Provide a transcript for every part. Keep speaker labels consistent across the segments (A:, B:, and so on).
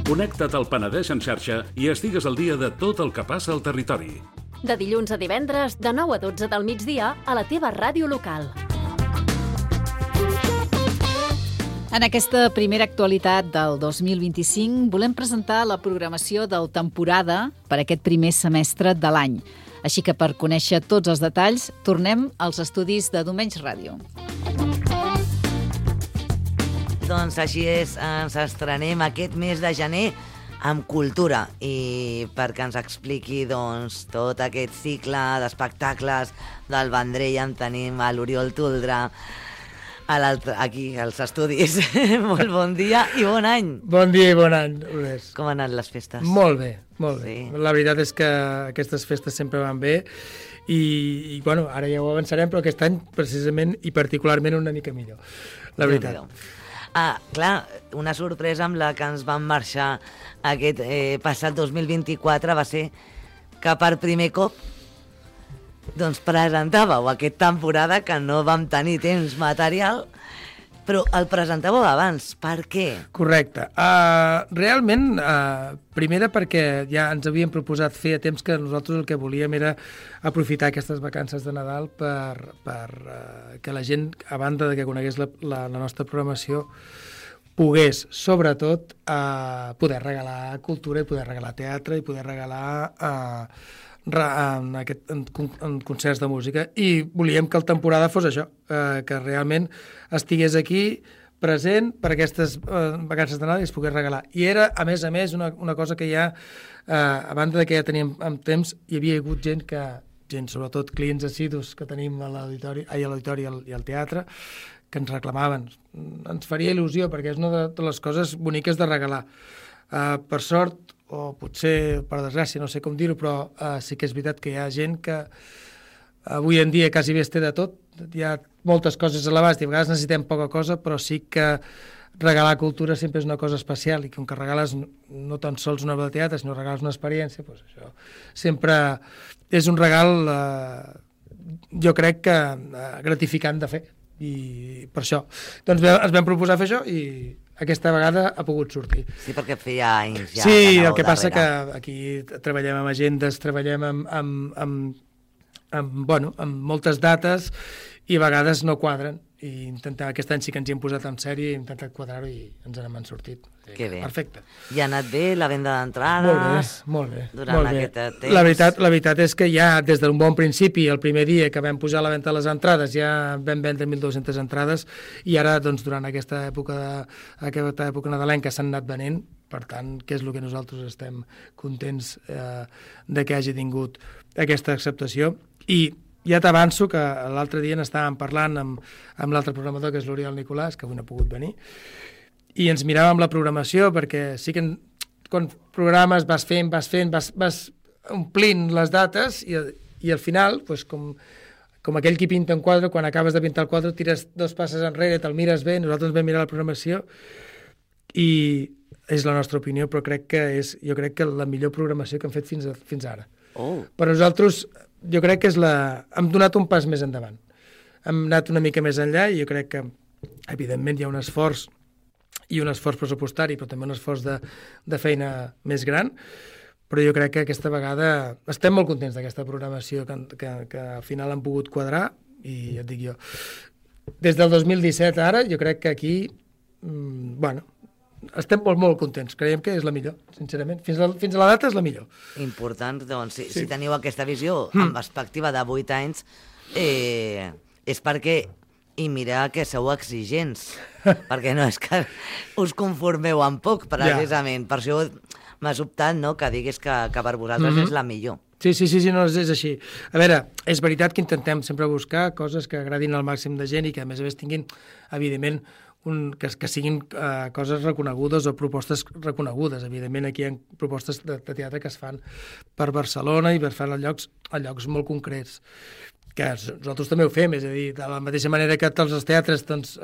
A: Connecta't al Penedès en xarxa i estigues al dia de tot el que passa al territori.
B: De dilluns a divendres, de 9 a 12 del migdia, a la teva ràdio local.
C: En aquesta primera actualitat del 2025 volem presentar la programació del temporada per aquest primer semestre de l'any. Així que per conèixer tots els detalls, tornem als estudis de Domenys Ràdio.
D: Doncs així és, ens estrenem aquest mes de gener amb cultura i perquè ens expliqui tot aquest cicle d'espectacles del Vendrell en tenim a l'Oriol Toldrà aquí als estudis. Molt bon dia i bon any.
E: Bon dia i bon any, Lourdes.
D: Com han anat les festes?
E: Molt bé, molt bé.
D: Sí.
E: La veritat és que aquestes festes sempre van bé i bueno, ara ja ho avançarem, però aquest any precisament i particularment una mica millor, la veritat.
D: Clar, una sorpresa amb la que ens vam marxar aquest passat 2024 va ser que per primer cop doncs presentàveu aquesta temporada que no vam tenir temps material, però el presentàveu abans. Per què?
E: Correcte. Realment, primera perquè ja ens havíem proposat fer a temps que nosaltres el que volíem era aprofitar aquestes vacances de Nadal per que la gent, a banda de que conegués la nostra programació, pogués, sobretot, poder regalar cultura i poder regalar teatre i poder regalar en concerts de música, i volíem que la temporada fos això, que realment estigués aquí present per aquestes vacances de Nadal i es pogués regalar. I era, a més, una cosa que ja, a banda de que ja teníem amb temps, hi havia hagut gent, sobretot clients assidus que tenim a l'auditori i al teatre, que ens reclamaven. Ens faria il·lusió, perquè és una de les coses boniques de regalar. Per sort, o potser per desgràcia, no sé com dir-ho, però sí que és veritat que hi ha gent que avui en dia quasi bé es té de tot. Hi ha moltes coses a l'abast i a vegades necessitem poca cosa, però sí que regalar cultura sempre és una cosa especial, i com que regales no tan sols una obra de teatre, sinó regales una experiència, doncs això sempre és un regal, jo crec que gratificant de fer, i per això doncs ens vam proposar fer això i aquesta vegada ha pogut sortir.
D: Sí, perquè feia anys ja.
E: Sí, el que passa que aquí treballem amb agendes, treballem amb moltes dates i a vegades no quadren, i aquest any sí que ens hi hem posat en sèrie i hem intentat quadrar-ho i ens n'hem sortit.
D: Que bé.
E: Perfecte.
D: I ha anat bé la venda d'entrades?
E: Molt bé.
D: Durant aquest temps?
E: La veritat és que ja des d'un bon principi, el primer dia que vam pujar a la venda de les entrades, ja vam vendre 1.200 entrades, i ara, doncs, durant aquesta època nadalenca s'han anat venent, per tant, que és el que nosaltres estem contents de que hagi tingut aquesta acceptació. I ja t'avanço que l'altre dia n'estàvem parlant amb l'altre programador, que és l'Oriol Nicolàs, que avui no ha pogut venir, i ens miràvem la programació, perquè sí que quan programes vas omplint les dates i al final, doncs, com aquell qui pinta un quadre, quan acabes de pintar el quadre tires 2 passes enrere, te'l mires bé. Nosaltres vam mirar la programació i és la nostra opinió, però jo crec que la millor programació que hem fet fins ara. Per nosaltres, jo crec que hem donat un pas més endavant. Hem anat una mica més enllà i jo crec que, evidentment, hi ha un esforç pressupostari, però també un esforç de feina més gran, però jo crec que aquesta vegada estem molt contents d'aquesta programació que al final han pogut quadrar, i ja et dic jo, des del 2017 ara, jo crec que aquí, estem molt contents, creiem que és la millor, sincerament. Fins a la data és la millor.
D: Important, doncs, si teniu aquesta visió amb perspectiva de 8 anys, és perquè, i mira que sou exigents, perquè no és que us conformeu amb poc, precisament. Per això m'ha sobtat, no?, que diguis que per vosaltres és la millor.
E: Sí, no, és així. A veure, és veritat que intentem sempre buscar coses que agradin al màxim de gent i que a més tinguin, evidentment, que siguin coses reconegudes o propostes reconegudes. Evidentment, aquí hi ha propostes de teatre que es fan per Barcelona i per fer a llocs molt concrets, que nosaltres també ho fem, és a dir, de la mateixa manera que tots els teatres, doncs,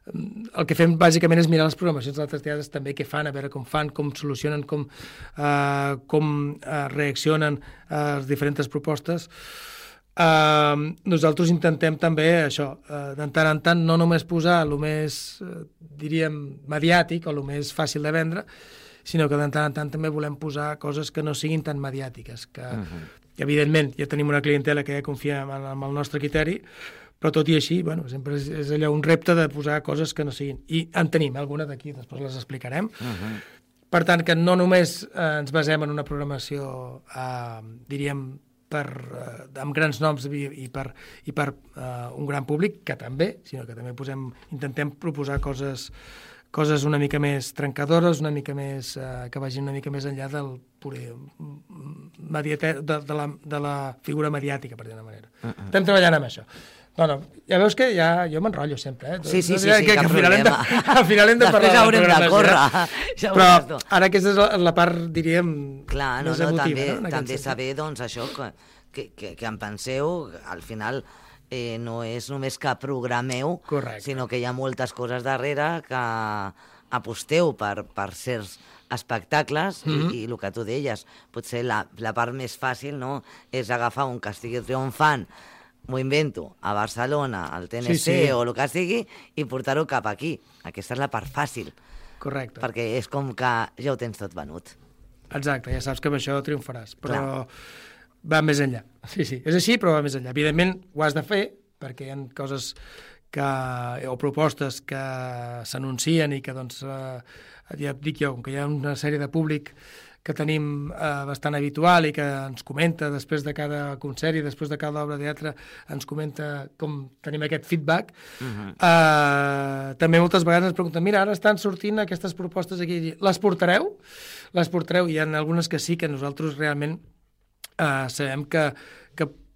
E: el que fem bàsicament és mirar les programacions d'altres teatres també que fan, a veure com fan, com solucionen, com reaccionen a les diferents propostes. Nosaltres intentem també això, de tant en tant, no només posar el més, diríem, mediàtic o el més fàcil de vendre, sinó que de tant en tant també volem posar coses que no siguin tan mediàtiques, que evidentment ja tenim una clientela que ja confia en el nostre criteri, però tot i així, bueno, sempre és allò un repte de posar coses que no siguin. I en tenim alguna d'aquí, després les explicarem. Per tant, que no només ens basem en una programació, diríem, amb grans noms i per un gran públic, que també, sinó que també intentem proposar coses una mica més trencadores, una mica més, que vagin una mica més enllà del de la figura mediàtica, per dir-ho d'una manera. Estem treballant amb això. No, ja veus que jo m'enrotllo sempre,
D: Sí,
E: que
D: cap
E: problema. Al final hem de parlar
D: després haurem de córrer.
E: Però ara aquesta és la part, diríem, més emotiva.
D: També saber, doncs, això, que en penseu, al final no és només que programeu, sinó que hi ha moltes coses darrere que aposteu per certs espectacles i el que tu deies, potser la part més fàcil és agafar un que estigui triomfant, m'ho invento, a Barcelona, al TNC o el que sigui, i portar-ho cap aquí. Aquesta és la part fàcil.
E: Correcte.
D: Perquè és com que ja ho tens tot venut.
E: Exacte, ja saps que amb això triomfaràs, però va més enllà. Sí, és així, però va més enllà. Evidentment, ho has de fer, perquè hi ha coses o propostes que s'anuncien i que, doncs, ja et dic jo, com que hi ha una sèrie de públic que tenim bastant habitual i que ens comenta després de cada concert i després de cada obra de teatre, ens comenta com tenim aquest feedback. També moltes vegades ens pregunten, mira, ara estan sortint aquestes propostes aquí, les portareu? Les portareu? Hi ha algunes que sí, que nosaltres realment sabem que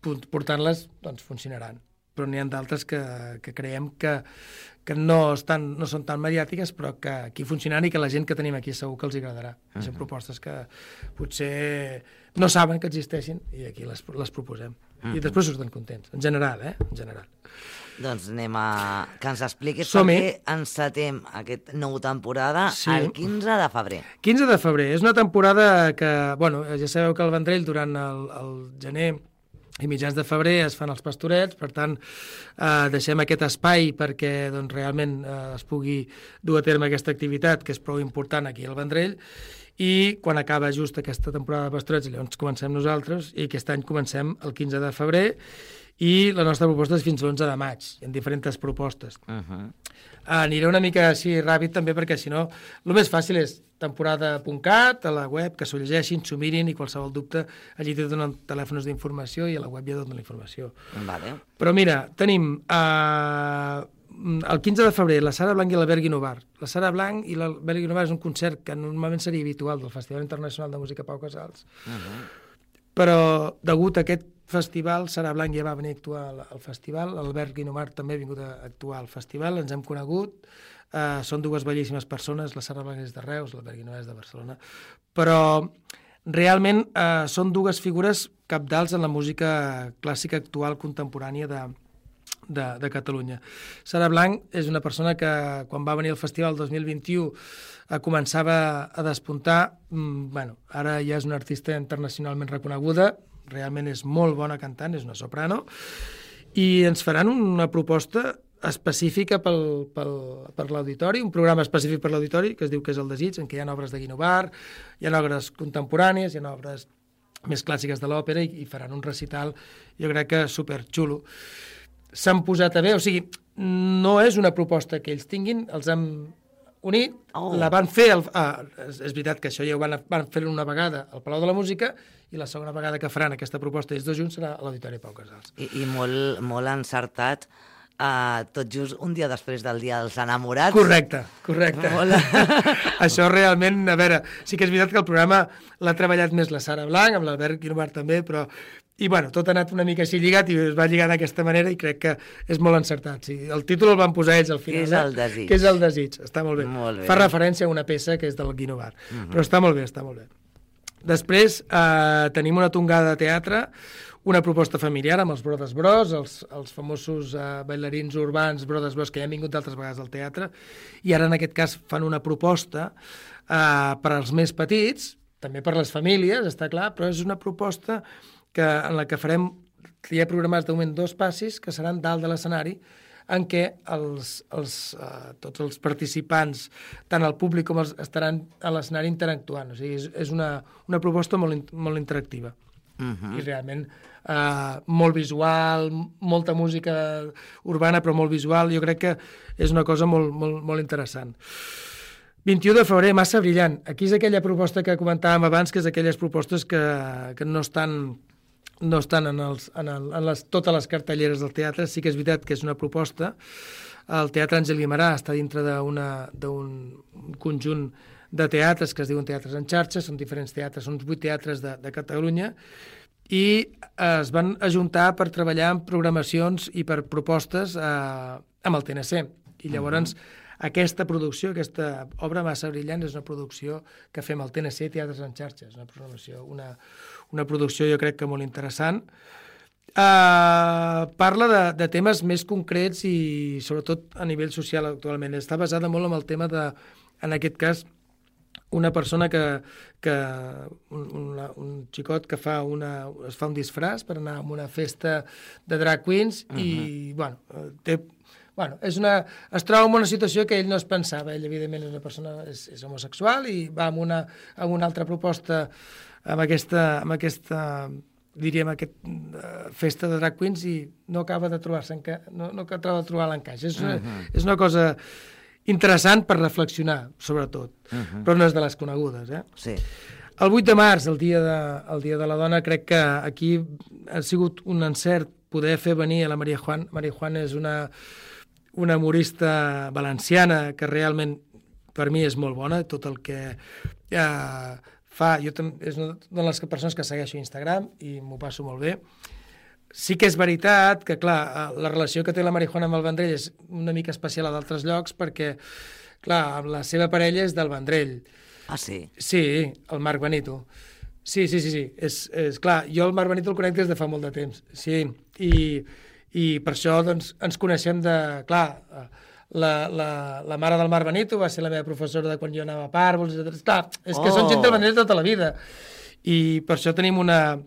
E: portant-les doncs, funcionaran, però n'hi ha d'altres que creiem que no són tan mediàtiques, però que aquí funcionaran i que la gent que tenim aquí segur que els agradarà. Són propostes que potser no saben que existeixin i aquí les proposem. I després surten contents, en general, En general.
D: Doncs anem que ens expliquis per què encetem aquesta nova temporada el 15 de febrer.
E: 15 de febrer. És una temporada que, bueno, ja sabeu que al Vendrell durant el gener i mitjans de febrer es fan els pastorets, per tant, deixem aquest espai perquè doncs, realment es pugui dur a terme aquesta activitat, que és prou important aquí al Vendrell, i quan acaba just aquesta temporada de pastorets, llavors comencem nosaltres, i aquest any comencem el 15 de febrer, i la nostra proposta és fins l'11 de maig, en diferents propostes. Aniré una mica així ràpid també, perquè si no, el més fàcil és temporada.cat, a la web, que s'ho llegeixin, s'ho mirin, i qualsevol dubte, allí te donen telèfons d'informació i a la web ja donen la informació. Però mira, tenim el 15 de febrer la Sara Blanc i l'Albert Guinovar. La Sara Blanc i l'Albert Guinovar és un concert que normalment seria habitual del Festival Internacional de Música Pau Casals, però degut a aquest festival, Sara Blanc ja va venir a actuar al festival, l'Albert Guinovar també ha vingut a actuar al festival, ens hem conegut, són dues bellíssimes persones, la Sara Blanc és de Reus, l'Albert Guinovar és de Barcelona, però realment són dues figures cabdals en la música clàssica actual contemporània de Catalunya. Sara Blanc és una persona que quan va venir al festival el 2021 començava a despuntar, ara ja és una artista internacionalment reconeguda, realment és molt bona cantant, és una soprano, i ens faran una proposta específica per l'auditori, un programa específic per l'auditori, que es diu que és el Desig, en què hi ha obres de Guinovar, hi ha obres contemporànies, hi ha obres més clàssiques de l'òpera, i faran un recital, jo crec que superxulo. S'han posat a bé, o sigui, no és una proposta que ells tinguin, els hem unit, la van fer, és veritat que això ja ho van fer una vegada al Palau de la Música, i la segona vegada que faran aquesta proposta ells dos junts serà a l'Auditori Pau Casals.
D: I molt encertat, tot just un dia després del Dia dels Enamorats.
E: Correcte. Això realment, a veure, sí que és veritat que el programa l'ha treballat més la Sara Blanc, amb l'Albert Guinovar també, però i bueno, tot ha anat una mica així lligat i es va lligar d'aquesta manera i crec que és molt encertat. Sí. El títol el van posar ells al final.
D: Que és el Desig.
E: Que és el Desig, està molt bé. Fa referència a una peça que és del Guinovar, però està molt bé, està molt bé. Després tenim una tongada de teatre, una proposta familiar amb els Brothers Bros, els famosos bailarins urbans Brothers Bros que ja han vingut d'altres vegades al teatre, i ara en aquest cas fan una proposta per als més petits, també per les famílies, està clar, però és una proposta en la que farem, hi ha programats de moment 2 passis que seran dalt de l'escenari, en què tots els participants, tant el públic com estaran a l'escenari interactuant. O sigui, és una proposta molt interactiva. I realment molt visual, molta música urbana, però molt visual. Jo crec que és una cosa molt interessant. 21 de febrer, Massa Brillant. Aquí és aquella proposta que comentàvem abans, que és aquelles propostes que no estan en totes les cartelleres del teatre. Sí que és veritat que és una proposta. El Teatre Àngel Guimerà està dintre d'un conjunt de teatres que es diuen Teatres en Xarxa, són diferents teatres, són 8 teatres de Catalunya, i es van ajuntar per treballar en programacions i per propostes amb el TNC. I llavors aquesta producció, aquesta obra Massa Brillant, és una producció que fem al TNC Teatres en Xarxa. És una programació, una producció jo crec que molt interessant. Parla de temes més concrets i sobretot a nivell social actualment. Està basada molt en el tema de, en aquest cas, una persona un xicot que es fa un disfraç per anar a una festa de drag queens i, es troba en una situació que ell no es pensava. Ell, evidentment, és una persona és homosexual i va amb una altra proposta amb aquesta diríem, festa de drag queens i no acaba de trobar-se no acaba de trobar l'encaix. És una cosa interessant per reflexionar, sobretot, però no és de les conegudes.
D: Sí.
E: El 8 de març, el dia de la dona, crec que aquí ha sigut un encert poder fer venir a la Maria Juan. Maria Juan és una humorista valenciana que realment per mi és molt bona, tot el que fa, és una de les persones que segueixo a Instagram i m'ho passo molt bé. Sí que és veritat que, clar, la relació que té la Maria Juan amb el Vendrell és una mica especial a d'altres llocs perquè, clar, la seva parella és del Vendrell.
D: Ah, sí?
E: Sí, el Marc Benito. Sí. És clar, jo el Marc Benito el conec des de fa molt de temps. Sí, i per això doncs, ens coneixem de... Clar, la mare del Marc Benito va ser la meva professora de quan jo anava a Pàrvols, etc. Clar, és que són gent del Vendrell tota la vida. I per això tenim una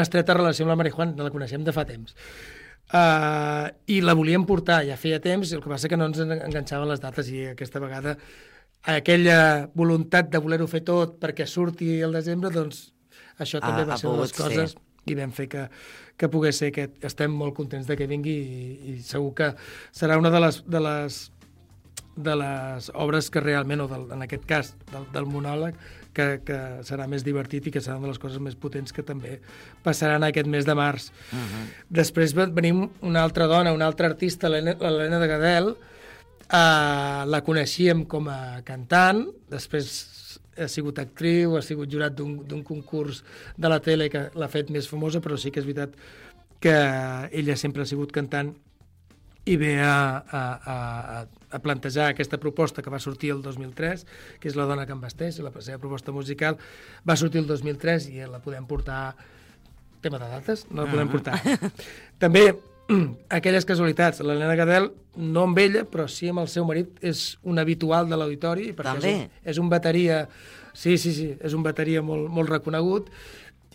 E: estreta relació amb la Maria Juan, la coneixem de fa temps. I la volíem portar, ja feia temps, el que passa que no ens enganxaven les dates i aquesta vegada aquella voluntat de voler-ho fer tot perquè surti el desembre, doncs això també va ser una de les coses i vam fer que pogués ser que estem molt contents de que vingui i segur que serà una de les obres que realment, en aquest cas del monòleg, que serà més divertit i que serà una de les coses més potents que també passaran aquest mes de març. Després venim una altra dona, una altra artista, l'Helena de Gadel. La coneixíem com a cantant, després ha sigut actriu, ha sigut jurat d'un concurs de la tele que l'ha fet més famosa, però sí que és veritat que ella sempre ha sigut cantant i ve a plantejar aquesta proposta que va sortir el 2003, que és La dona que em vesteix, la seva proposta musical, va sortir el 2003 i la podem portar... Tema de dates, no la podem portar. També, aquelles casualitats, l'Helena Gadel, no amb ella, però sí amb el seu marit, és un habitual de l'auditori, perquè és un bateria... Sí, és un bateria molt reconegut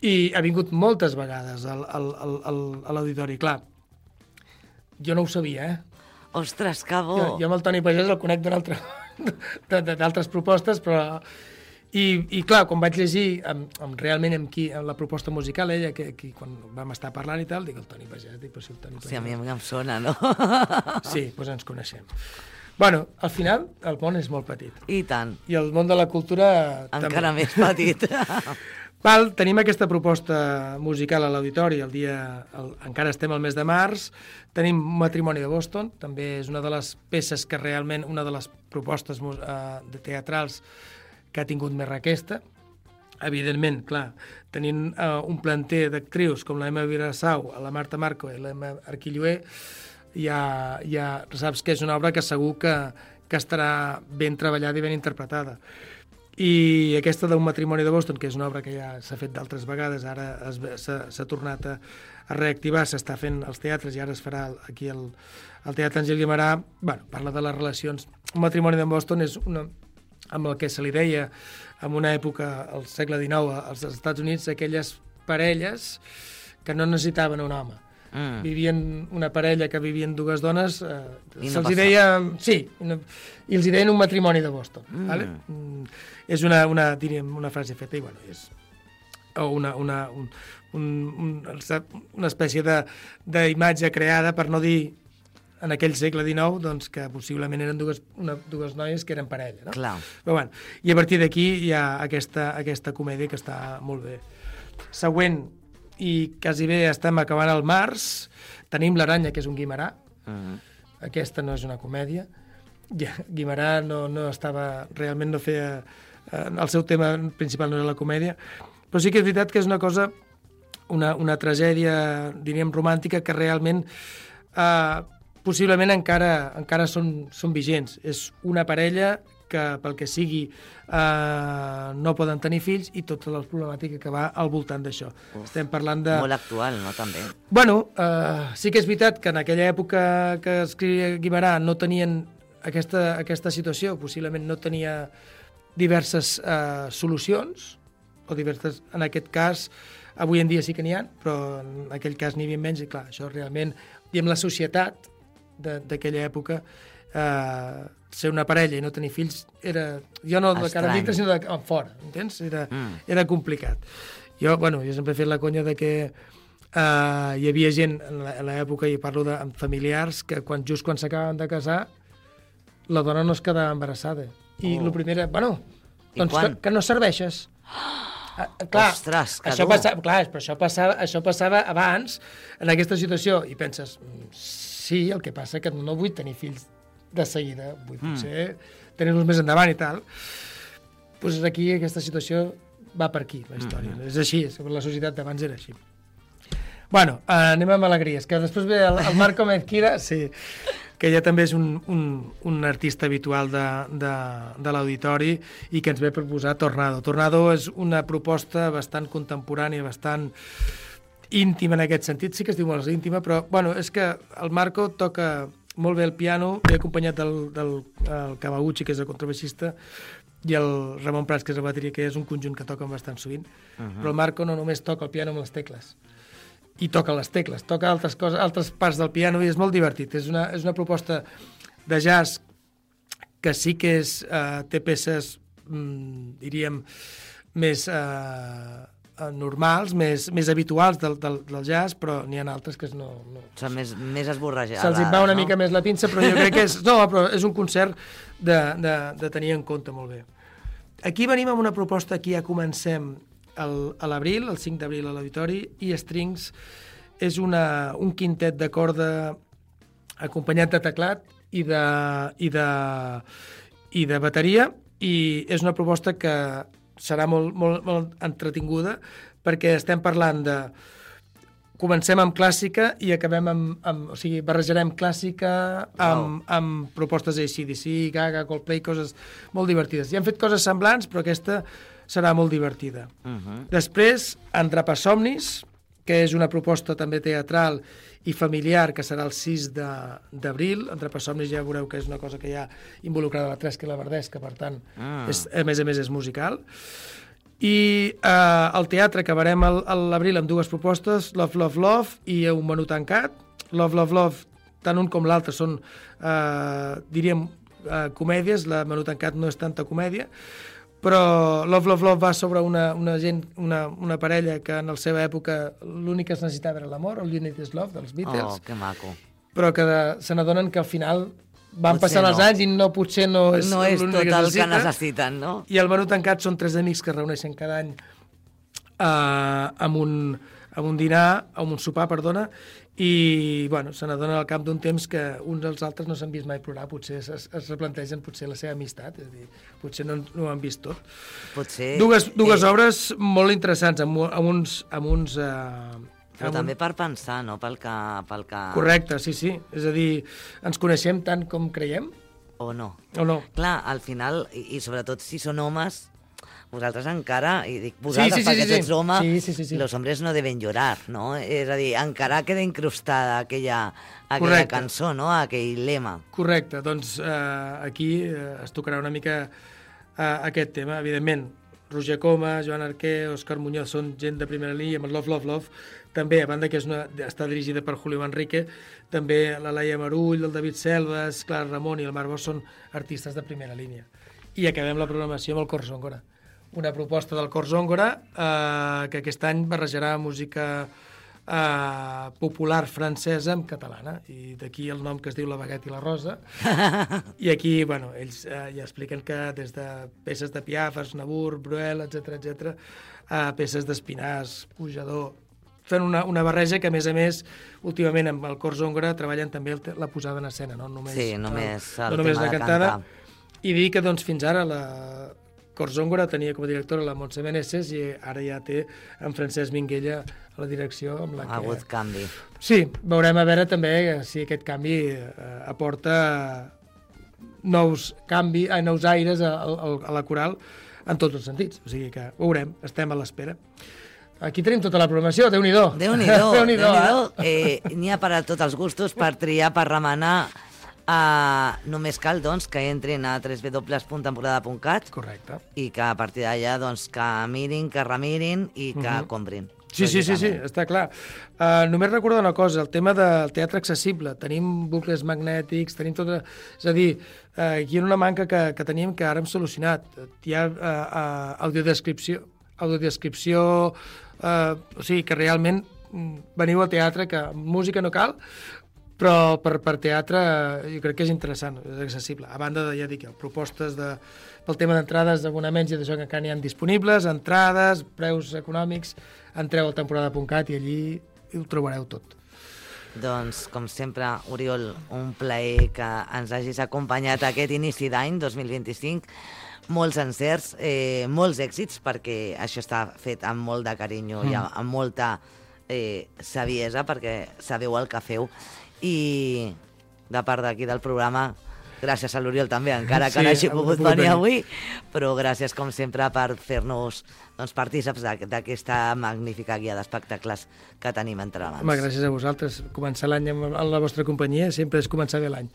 E: i ha vingut moltes vegades a l'auditori. Clar, jo no ho sabia,
D: Ostres, que bo!
E: Jo amb el Toni Pagès el conec d'altres propostes, però... I clar, quan vaig llegir realment amb la proposta musical, ella, quan vam estar parlant i tal, dic el Toni Pagès, dic, però si el Toni Pagès...
D: Sí, a mi em sona, no?
E: Sí, doncs ens coneixem. Bueno, al final, el món és molt petit.
D: I tant.
E: I el món de la cultura...
D: Encara més petit.
E: Tenim aquesta proposta musical a l'auditori, encara estem al mes de març, tenim Matrimoni de Boston, també és una de les peces que realment, una de les propostes teatrals que ha tingut més requesta. Evidentment, clar, tenint un planter d'actrius com la Emma Vilassau, la Marta Marco i l'Emma Arquilloé, ja saps que és una obra que segur que estarà ben treballada i ben interpretada. I aquesta d'un Matrimoni de Boston, que és una obra que ja s'ha fet d'altres vegades, ara s'ha tornat a reactivar, s'està fent als teatres i ara es farà aquí al Teatre Àngel Guimerà, parla de les relacions. Un Matrimoni de Boston és amb el que se li deia en una època, al segle XIX, als Estats Units, aquelles parelles que no necessitaven un home. vivien una parella que vivien dues dones,
D: I no
E: se'ls
D: passa.
E: deia... Sí, i els hi deien un matrimoni de Boston. Vale? És diríem, una frase feta, i bueno, és o una espècie d'imatge creada, per no dir en aquell segle XIX, doncs, que possiblement eren dues noies que eren parella. No?
D: Clar.
E: Però, bueno, i a partir d'aquí hi ha aquesta comèdia que està molt bé. Següent, i quasi bé estem acabant el març, tenim l'Aranya, que és un Guimerà. Aquesta no és una comèdia. Guimerà no estava... Realment no feia... El seu tema principal no era la comèdia, però sí que és veritat que és una cosa, una tragèdia, diríem, romàntica, que realment possiblement encara són vigents. És una parella que, pel que sigui, no poden tenir fills, i tota la problemàtica que va al voltant d'això. Estem parlant de...
D: Molt actual, no, també?
E: Bueno, sí que és veritat que en aquella època que escrivia Guimerà no tenien aquesta situació, possiblement no tenia diverses solucions, o diverses, en aquest cas, avui en dia sí que n'hi ha, però en aquell cas n'hi havia menys, i clar, això realment, diguem, la societat d'aquella època, ser una parella i no tenir fills era, jo no de cara a dintre, sinó de fora, entens? Era complicat. Jo sempre he fet la conya de que hi havia gent en l'època, i parlo amb familiars, que just quan s'acaben de casar, la dona no es quedava embarassada. I el primer era, doncs que no serveixes. Clar,
D: ostres, que
E: això passava abans, en aquesta situació, i penses, sí, el que passa que no vull tenir fills de seguida, vull potser tenir-los més endavant i tal. Doncs aquí aquesta situació va per aquí, la història. És així, la societat d'abans era així. Bueno, anem amb alegries, que després ve el Marco Mezquira, sí, que ja també és un artista habitual de l'auditori i que ens ve proposar Tornado. Tornado és una proposta bastant contemporània, bastant íntima en aquest sentit, sí que es diu molt íntima, però és que el Marco toca molt bé el piano, ve acompanyat del Kawaguchi, que és el contrabaixista, i el Ramon Prats, que és el bateria, que és un conjunt que toquen bastant sovint, però el Marco no només toca el piano amb les tecles, i toca les tecles, toca altres coses, altres parts del piano, i és molt divertit. És una proposta de jazz que sí que té peces, diríem, més normals, més habituals del jazz, però n'hi ha altres que no...
D: Són més esborrejades.
E: Se'ls va una mica més la pinça, però jo crec que però és un concert de tenir en compte molt bé. Aquí venim amb una proposta que ja comencem a l'abril, el 5 d'abril a l'Auditori, i Strings és un quintet de corda acompanyat de teclat i de bateria, i és una proposta que serà molt entretinguda, perquè estem parlant de... Comencem amb clàssica i acabem o sigui, barrejarem clàssica amb propostes AC/DC, Gaga, Coldplay, coses molt divertides. Ja han fet coses semblants, però aquesta serà molt divertida. Després, Andrapasomnis, que és una proposta també teatral i familiar, que serà el 6 d'abril. Andrapasomnis ja veureu que és una cosa que hi ha involucrada la Tresca i la Verdesca, per tant, a més és musical. I al teatre acabarem a l'abril amb dues propostes, Love, Love, Love i Un menú tancat. Love, Love, Love, tant un com l'altre són, diríem, comèdies. La menú tancat no és tanta comèdia, però Love, Love, Love va sobre una parella que en la seva època l'únic que es necessitava era l'amor, All You Need Is Love, dels Beatles.
D: Que maco.
E: Però que se n'adonen que al final van passant els anys i potser no és
D: tot el que necessiten, no?
E: I el menú tancat són 3 amics que es reuneixen cada any amb un dinar, amb un sopar, perdona, i se n'adonen al cap d'un temps que uns dels altres no s'han vist mai plorar, potser es replantegen la seva amistat, és a dir, potser no ho han vist tot.
D: Potser...
E: Dues obres molt interessants, amb uns
D: però també per pensar, no? Pel que...
E: Correcte, sí. És a dir, ens coneixem tant com creiem?
D: O no.
E: Clar,
D: al final, i sobretot si són homes, vosaltres encara, i dic vosaltres perquè ets home, los hombres no deben llorar, no? És a dir, encara queda incrustada aquella cançó, no? Aquell lema.
E: Correcte, doncs aquí es tocarà una mica aquest tema, evidentment. Roger Coma, Joan Arquer, Òscar Muñoz són gent de primera línia, amb el Love, Love, Love, també, a banda que està dirigida per Julio Manrique, també la Laia Marull, el David Selves, Clara Ramon i el Marc Bosch són artistes de primera línia. I acabem la programació amb el Cor Zongora. Una proposta del Cor Zongora que aquest any barrejarà música popular francesa amb catalana, i d'aquí el nom que es diu La Baguette i la Rosa. I aquí, bueno, ells ja expliquen que des de peces de Piaf, Aznavour, Bruel, etc, a peces d'Espinàs, Pujador, fent una barreja que, a més, últimament amb el Cor Zongora treballen també la posada en escena, no només la cantada. I dir que doncs, fins ara la Cor Zongora tenia com a directora la Montse Meneses i ara ja té en Francesc Minguella a la direcció. Amb la
D: ha hagut canvi.
E: Sí, veurem a veure també si aquest canvi aporta nous aires a la coral en tots els sentits. O sigui que veurem, estem a l'espera. Aquí tenim tota la programació, Déu-n'hi-do.
D: Déu-n'hi-do. N'hi ha per a tots els gustos, per triar, per remenar. Només cal doncs, que entrin a www.temporada.cat.
E: Correcte.
D: I que a partir d'allà doncs, que mirin, que remirin i que comprin.
E: Sí, està clar. Només recordo una cosa, el tema del teatre accessible. Tenim bucles magnètics, tenim tot... És a dir, aquí hi ha una manca que teníem que ara hem solucionat. Hi ha audiodescripció, o sigui que realment veniu al teatre, que música no cal, però per teatre jo crec que és interessant, és accessible. A banda de, ja dic, propostes pel tema d'entrades, d'abonaments i d'això que encara n'hi ha disponibles, entrades, preus econòmics, entreu al temporada.cat i allí ho trobareu tot.
D: Doncs, com sempre, Oriol, un plaer que ens hagis acompanyat aquest inici d'any 2025. Molts encerts, molts èxits, perquè això està fet amb molt de carinyo i amb molta saviesa, perquè sabeu el que feu. I de part d'aquí del programa, gràcies a l'Oriol també, encara que no hagi pogut venir avui, però gràcies com sempre per fer-nos partíceps d'aquesta magnífica guia d'espectacles que tenim entre mans.
E: Home, gràcies a vosaltres. Començar l'any amb la vostra companyia sempre és començar bé l'any.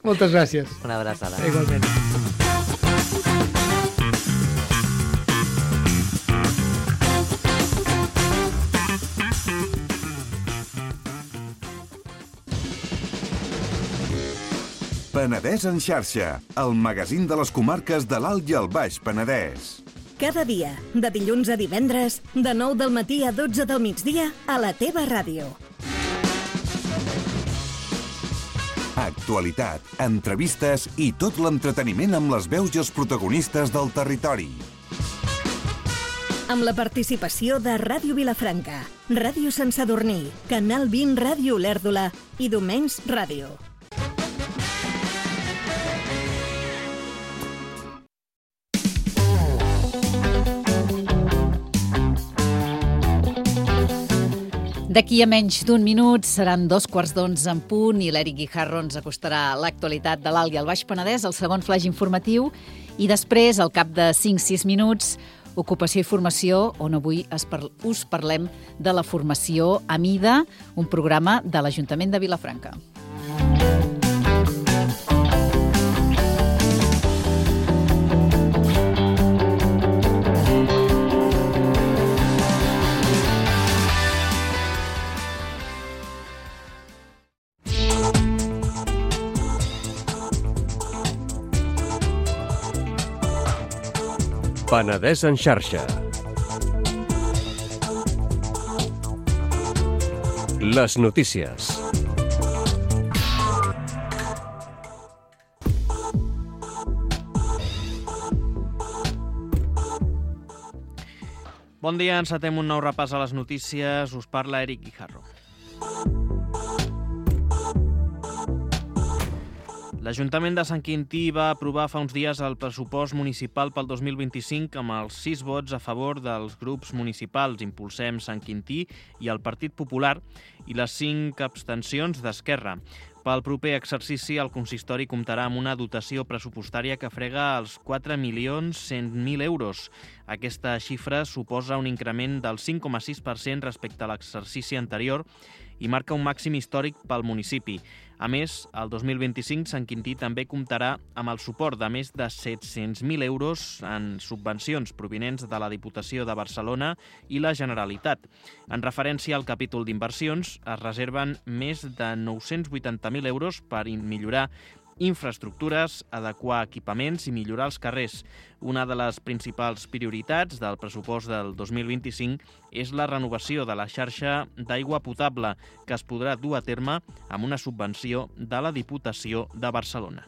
E: Moltes gràcies.
D: Una abraçada.
E: Igualment.
F: Penedès en xarxa, el magazín de les comarques de l'Alt i el Baix Penedès.
G: Cada dia, de dilluns a divendres, de 9 del matí a 12 del migdia, a la teva ràdio.
F: Actualitat, entrevistes i tot l'entreteniment amb les veus i els protagonistes del territori.
G: Amb la participació de Ràdio Vilafranca, Ràdio Sant Sadurní, Canal 20 Ràdio Olèrdola i Domenys Ràdio.
C: D'aquí a menys d'un minut seran 2:15 en punt i l'Eric Guijarro ens acostarà l'actualitat de l'Alt i el Baix Penedès, el segon flaix informatiu, i després, al cap de 5-6 minuts, Ocupació i Formació, on avui us parlem de la formació a mida, un programa de l'Ajuntament de Vilafranca.
H: Penedès en xarxa. Les notícies.
I: Bon dia, encetem un nou repàs a les notícies. Us parla Eric Guijarro. L'Ajuntament de Sant Quintí va aprovar fa uns dies el pressupost municipal pel 2025 amb els 6 vots a favor dels grups municipals Impulsem Sant Quintí i el Partit Popular i les 5 abstencions d'Esquerra. Pel proper exercici, el consistori comptarà amb una dotació pressupostària que frega els 4.100.000 euros. Aquesta xifra suposa un increment del 5,6% respecte a l'exercici anterior i marca un màxim històric pel municipi. A més, el 2025 Sant Quintí també comptarà amb el suport de més de 700.000 euros en subvencions provinents de la Diputació de Barcelona i la Generalitat. En referència al capítol d'inversions, es reserven més de 980.000 euros per millorar infraestructures, adequar equipaments i millorar els carrers. Una de les principals prioritats del pressupost del 2025 és la renovació de la xarxa d'aigua potable, que es podrà dur a terme amb una subvenció de la Diputació de Barcelona.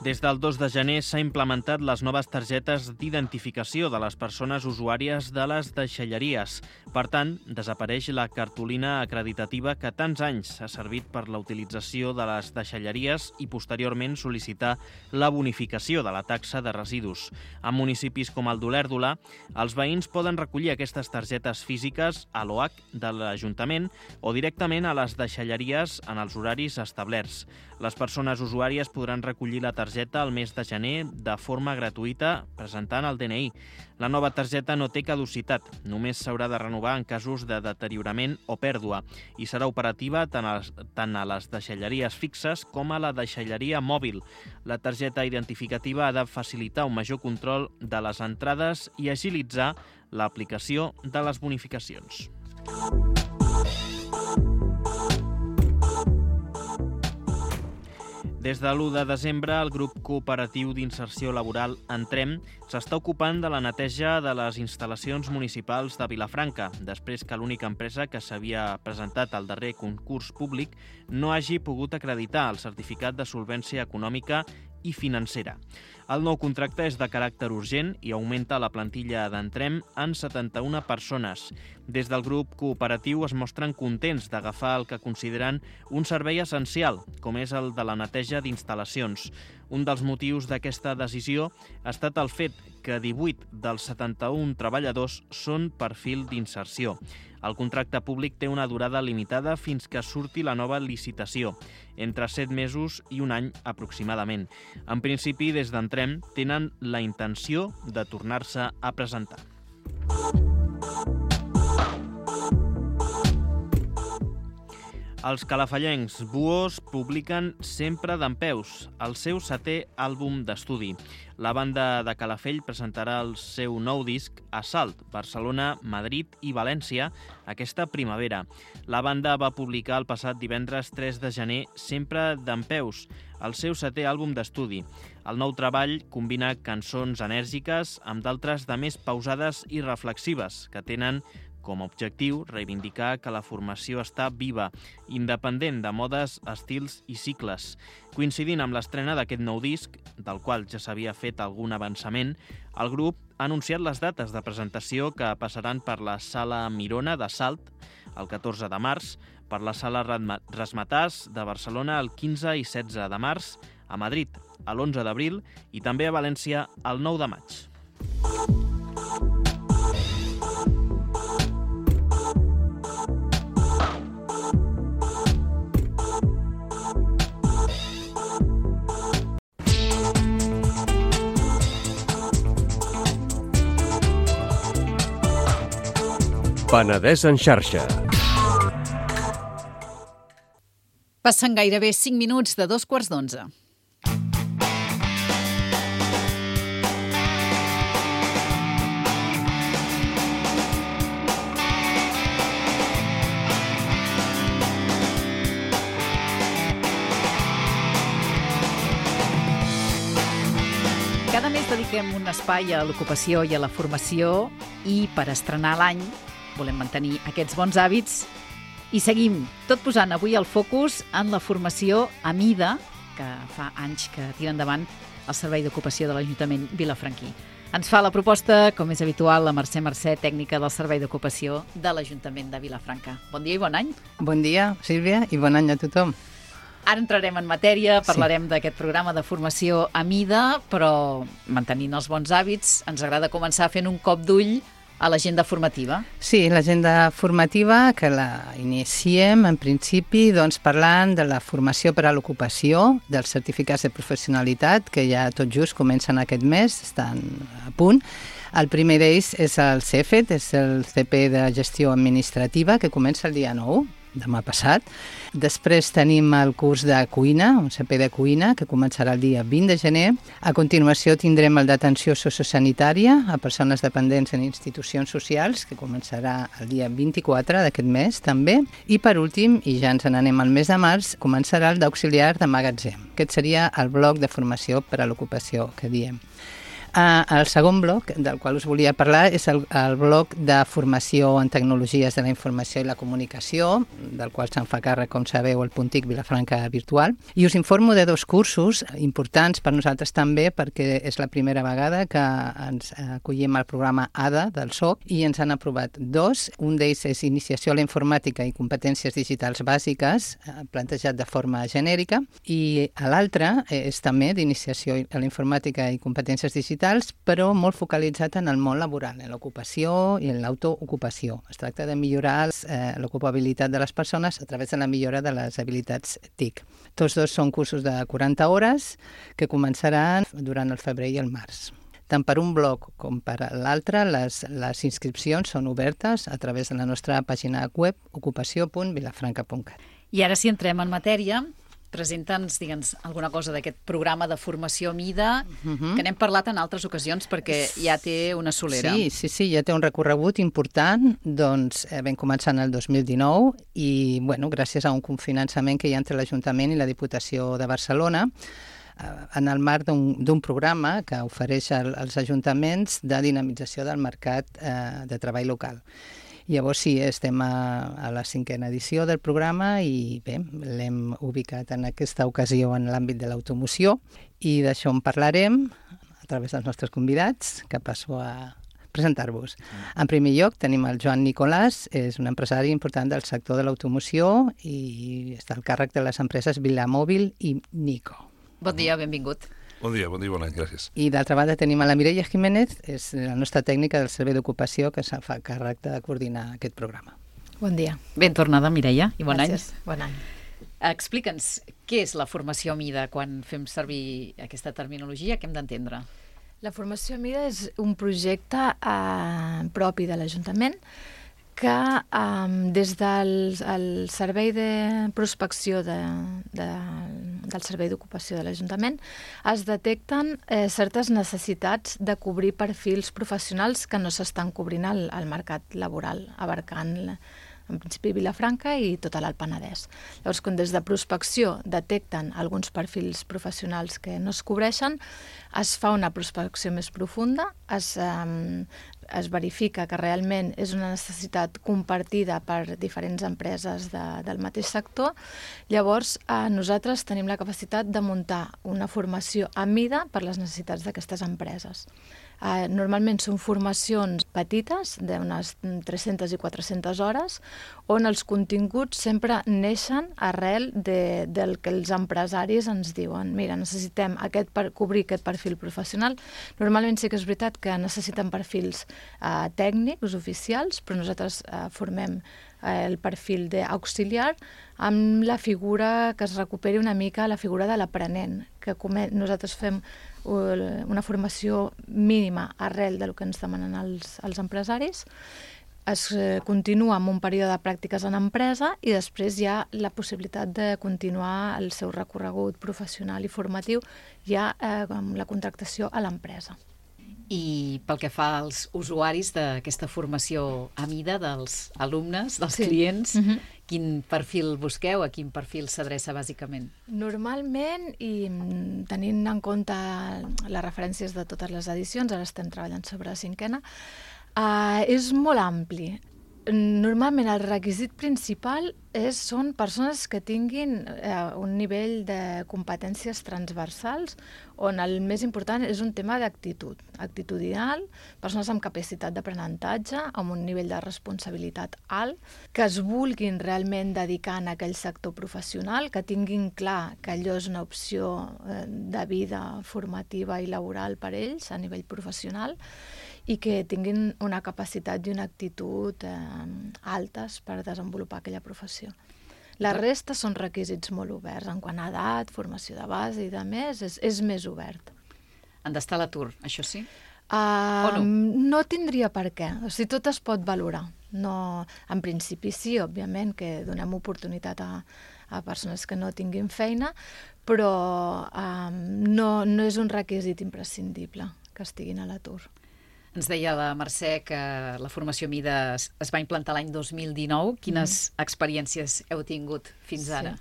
I: Des del 2 de gener s'ha implementat les noves targetes d'identificació de les persones usuàries de les deixalleries. Per tant, desapareix la cartolina acreditativa que tants anys ha servit per la utilització de les deixalleries i posteriorment sol·licitar la bonificació de la taxa de residus. En municipis com el d'Olèrdola, els veïns poden recollir aquestes targetes físiques a l'OH de l'Ajuntament o directament a les deixalleries en els horaris establerts. Les persones usuàries podran recollir la targeta al mes de gener de forma gratuïta presentant el DNI. La nova targeta no té caducitat, només s'haurà de renovar en casos de deteriorament o pèrdua i serà operativa tant a les deixalleries fixes com a la deixalleria mòbil. La targeta identificativa ha de facilitar un major control de les entrades i agilitzar l'aplicació de les bonificacions. Des de l'1 de desembre, el grup cooperatiu d'inserció laboral Entrem s'està ocupant de la neteja de les instal·lacions municipals de Vilafranca, després que l'única empresa que s'havia presentat al darrer concurs públic no hagi pogut acreditar el certificat de solvència econòmica i financera. El nou contracte és de caràcter urgent i augmenta la plantilla d'Entrem en 71 persones. Des del grup cooperatiu es mostren contents d'agafar el que consideren un servei essencial, com és el de la neteja d'instal·lacions. Un dels motius d'aquesta decisió ha estat el fet que 18 dels 71 treballadors són perfil d'inserció. El contracte públic té una durada limitada fins que surti la nova licitació, entre 7 mesos i un any aproximadament. En principi, des d'Entrem tenen la intenció de tornar-se a presentar. Els calafallencs Buos publiquen Sempre dempeus, el seu 7è àlbum d'estudi. La banda de Calafell presentarà el seu nou disc a Salt, Barcelona, Madrid i València aquesta primavera. La banda va publicar el passat divendres 3 de gener Sempre dempeus, el seu 7è àlbum d'estudi. El nou treball combina cançons enèrgiques amb d'altres de més pausades i reflexives, que tenen com a objectiu reivindicar que la formació està viva, independent de modes, estils i cicles. Coincidint amb l'estrena d'aquest nou disc, del qual ja s'havia fet algun avançament, el grup ha anunciat les dates de presentació que passaran per la Sala Mirona de Salt el 14 de març, per la Sala Rasmatàs de Barcelona el 15 i 16 de març, a Madrid l'11 d'abril i també a València el 9 de maig.
H: Penedès en xarxa.
C: Passen gairebé 5 minuts de 11:15. Cada mes dediquem un espai a l'ocupació i a la formació i per estrenar l'any volem mantenir aquests bons hàbits i seguim tot posant avui el focus en la formació a mida, que fa anys que tira endavant el Servei d'Ocupació de l'Ajuntament vilafranquí. Ens fa la proposta, com és habitual, la Mercè, tècnica del Servei d'Ocupació de l'Ajuntament de Vilafranca. Bon dia i bon any.
J: Bon dia, Sílvia, i bon any a tothom.
C: Ara entrarem en matèria, parlarem d'aquest programa de formació a mida, però mantenint els bons hàbits, ens agrada començar fent un cop d'ull a l'agenda formativa.
J: Sí, l'agenda formativa que la iniciem en principi parlant de la formació per a l'ocupació, dels certificats de professionalitat que ja tot just comencen aquest mes, estan a punt. El primer d'ells és el CEFET, és el CP de Gestió Administrativa, que comença el dia 9, demà passat. Després tenim el curs de cuina, un CP de cuina, que començarà el dia 20 de gener. A continuació tindrem el d'atenció sociosanitària a persones dependents en institucions socials, que començarà el dia 24 d'aquest mes també. I per últim, i ja ens n'anem al mes de març, començarà el d'auxiliar de magatzem. Aquest seria el bloc de formació per a l'ocupació que diem. El segon bloc del qual us volia parlar és el bloc de formació en tecnologies de la informació i la comunicació, del qual se'n fa càrrec, com sabeu, el Puntic Vilafranca Virtual. I us informo de 2 cursos importants per nosaltres també, perquè és la primera vegada que ens acollim al programa ADA del SOC i ens han aprovat 2. Un d'ells és Iniciació a la Informàtica i Competències Digitals Bàsiques, plantejat de forma genèrica, i l'altre és també d'Iniciació a la Informàtica i Competències Digitals, però molt focalitzat en el món laboral, en l'ocupació i en l'autoocupació. Es tracta de millorar l'ocupabilitat de les persones a través de la millora de les habilitats TIC. Tots 2 són cursos de 40 hores que començaran durant el febrer i el març. Tant per un bloc com per l'altre, les inscripcions són obertes a través de la nostra pàgina web ocupació.vilafranca.cat.
C: I ara si entrem en matèria, presenta'ns, digue'ns, alguna cosa d'aquest programa de formació MIDA, que n'hem parlat en altres ocasions perquè ja té una solera.
J: Sí, ja té un recorregut important. Doncs vam començar en el 2019 i, gràcies a un cofinançament que hi ha entre l'Ajuntament i la Diputació de Barcelona, en el marc d'un programa que ofereix als ajuntaments de dinamització del mercat de treball local. Llavors sí, estem a la 5a edició del programa i bé, l'hem ubicat en aquesta ocasió en l'àmbit de l'automoció i d'això en parlarem a través dels nostres convidats, que passo a presentar-vos. En primer lloc tenim el Joan Nicolàs, és un empresari important del sector de l'automoció i està al càrrec de les empreses Vilamòbil i Nico.
C: Bon dia, benvingut.
K: Bon dia, bon any, gràcies.
J: I d'altra banda tenim a la Mireia Jiménez, és la nostra tècnica del Servei d'Ocupació que se'n fa càrrec de coordinar aquest programa.
L: Bon dia.
C: Ben tornada, Mireia, i bon
L: Gràcies. Bon any.
C: Explica'ns, què és la formació MIDA quan fem servir aquesta terminologia? Què hem d'entendre?
L: La formació MIDA és un projecte propi de l'Ajuntament que des del Servei de Prospecció del Servei d'Ocupació de l'Ajuntament es detecten certes necessitats de cobrir perfils professionals que no s'estan cobrint al mercat laboral, abarcant en principi Vilafranca i tot l'Alt Penedès. Llavors, quan des de prospecció detecten alguns perfils professionals que no es cobreixen, es fa una prospecció més profunda, es verifica que realment és una necessitat compartida per diferents empreses del mateix sector. Llavors, nosaltres tenim la capacitat de muntar una formació a mida per les necessitats d'aquestes empreses. Normalment són formacions petites, d'unes 300 i 400 hores, on els continguts sempre neixen arrel del que els empresaris ens diuen. Mira, necessitem cobrir aquest perfil professional. Normalment sí que és veritat que necessiten perfils tècnics, oficials, però nosaltres formem el perfil d'auxiliar amb la figura que es recuperi una mica la figura de l'aprenent, que nosaltres fem una formació mínima arrel del que ens demanen els empresaris. Es continua amb un període de pràctiques en empresa i després hi ha la possibilitat de continuar el seu recorregut professional i formatiu ja amb la contractació a l'empresa.
C: I pel que fa als usuaris d'aquesta formació a mida dels alumnes, dels clients, quin perfil busqueu, a quin perfil s'adreça bàsicament?
L: Normalment, i tenint en compte les referències de totes les edicions, ara estem treballant sobre la 5a, és molt ampli. Normalment el requisit principal són persones que tinguin un nivell de competències transversals on el més important és un tema d'actitud, actitudinal, persones amb capacitat d'aprenentatge, amb un nivell de responsabilitat alt, que es vulguin realment dedicar en aquell sector professional, que tinguin clar que allò és una opció de vida formativa i laboral per ells a nivell professional, i que tinguin una capacitat i una actitud altes per desenvolupar aquella professió. La resta són requisits molt oberts, en quant a edat, formació de base i de més, és més obert.
C: Han d'estar a l'atur, això sí?
L: O no? No tindria per què. O sigui, tot es pot valorar. No, en principi sí, òbviament, que donem oportunitat a persones que no tinguin feina, però no és un requisit imprescindible que estiguin a l'atur.
C: Ens deia la Mercè que la formació Mida es va implantar l'any 2019. Quines experiències heu tingut fins ara?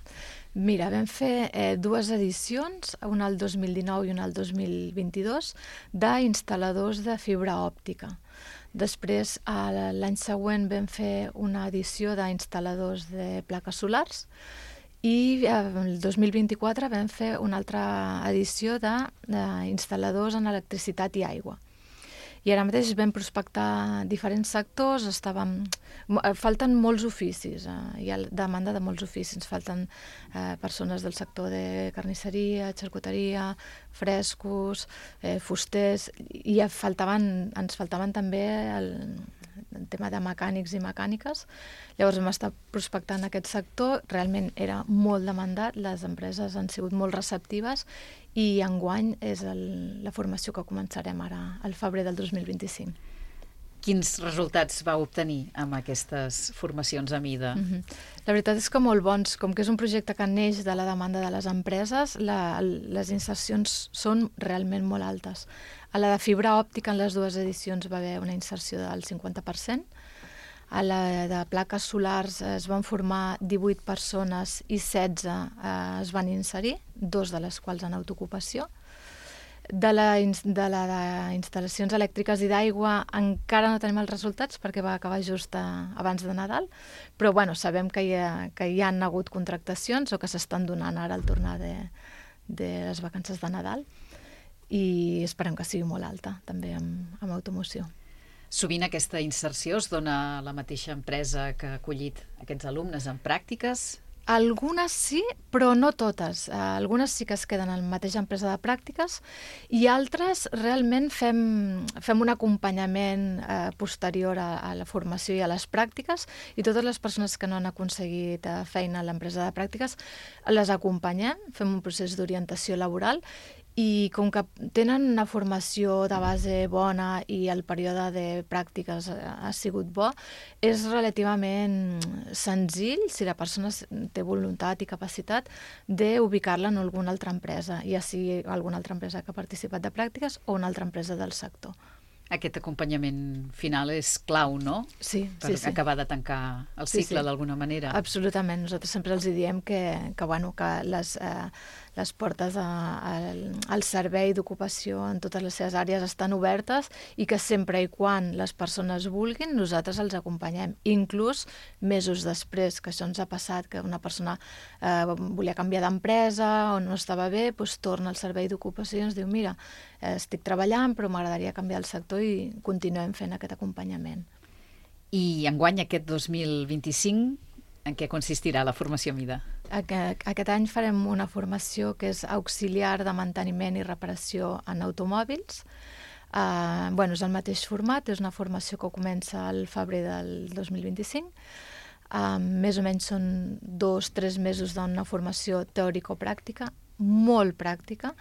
L: Mira, vam fer 2 edicions, una el 2019 i una el 2022, d'instal·ladors de fibra òptica. Després, l'any següent, vam fer una edició d'instal·ladors de plaques solars i el 2024 vam fer una altra edició d'instal·ladors en electricitat i aigua. I ara mateix vam prospectar diferents sectors, falten molts oficis, hi ha demanda de molts oficis, ens falten persones del sector de carnisseria, xarcuteria, frescos, fusters, i ens faltaven també el tema de mecànics i mecàniques. Llavors hem estat prospectant aquest sector, realment era molt demandat, les empreses han sigut molt receptives i enguany és la formació que començarem ara al febrer del 2025.
C: Quins resultats vau obtenir amb aquestes formacions a Mida?
L: La veritat és que molt bons. Com que és un projecte que neix de la demanda de les empreses, les insercions són realment molt altes. A la de fibra òptica en les 2 edicions va haver una inserció del 50%. A la de plaques solars es van formar 18 persones i 16 es van inserir, 2 de les quals en autoocupació. De la instal·lacions elèctriques i d'aigua encara no tenim els resultats perquè va acabar just abans de Nadal, però sabem que hi han hagut contractacions o que s'estan donant ara al tornar de les vacances de Nadal i esperem que sigui molt alta també amb automoció.
C: Sovint aquesta inserció es dona a la mateixa empresa que ha acollit aquests alumnes en pràctiques?
L: Algunes sí, però no totes. Algunes sí que es queden en la mateixa empresa de pràctiques i altres realment fem un acompanyament posterior a la formació i a les pràctiques i totes les persones que no han aconseguit feina a l'empresa de pràctiques les acompanyem, fem un procés d'orientació laboral i com que tenen una formació de base bona i el període de pràctiques ha sigut bo, és relativament senzill, si la persona té voluntat i capacitat, d'ubicar-la en alguna altra empresa, ja sigui alguna altra empresa que ha participat de pràctiques o una altra empresa del sector.
C: Aquest acompanyament final és clau, no?
L: Sí.
C: Per acabar de tancar el cicle d'alguna manera.
L: Absolutament. Nosaltres sempre els diem que les portes al servei d'ocupació en totes les seves àrees estan obertes i que sempre i quan les persones vulguin, nosaltres els acompanyem. Inclús mesos després, que això ens ha passat, que una persona volia canviar d'empresa o no estava bé, doncs torna al servei d'ocupació i ens diu, mira, estic treballant però m'agradaria canviar el sector i continuem fent aquest acompanyament.
C: I enguany, aquest 2025, en què consistirà la formació Mida?
L: Aquest any farem una formació que és auxiliar de manteniment i reparació en automòbils. És el mateix format, és una formació que comença al febrer del 2025. Més o menys són 2-3 mesos d'una formació teòrico-pràctica, molt pràctica.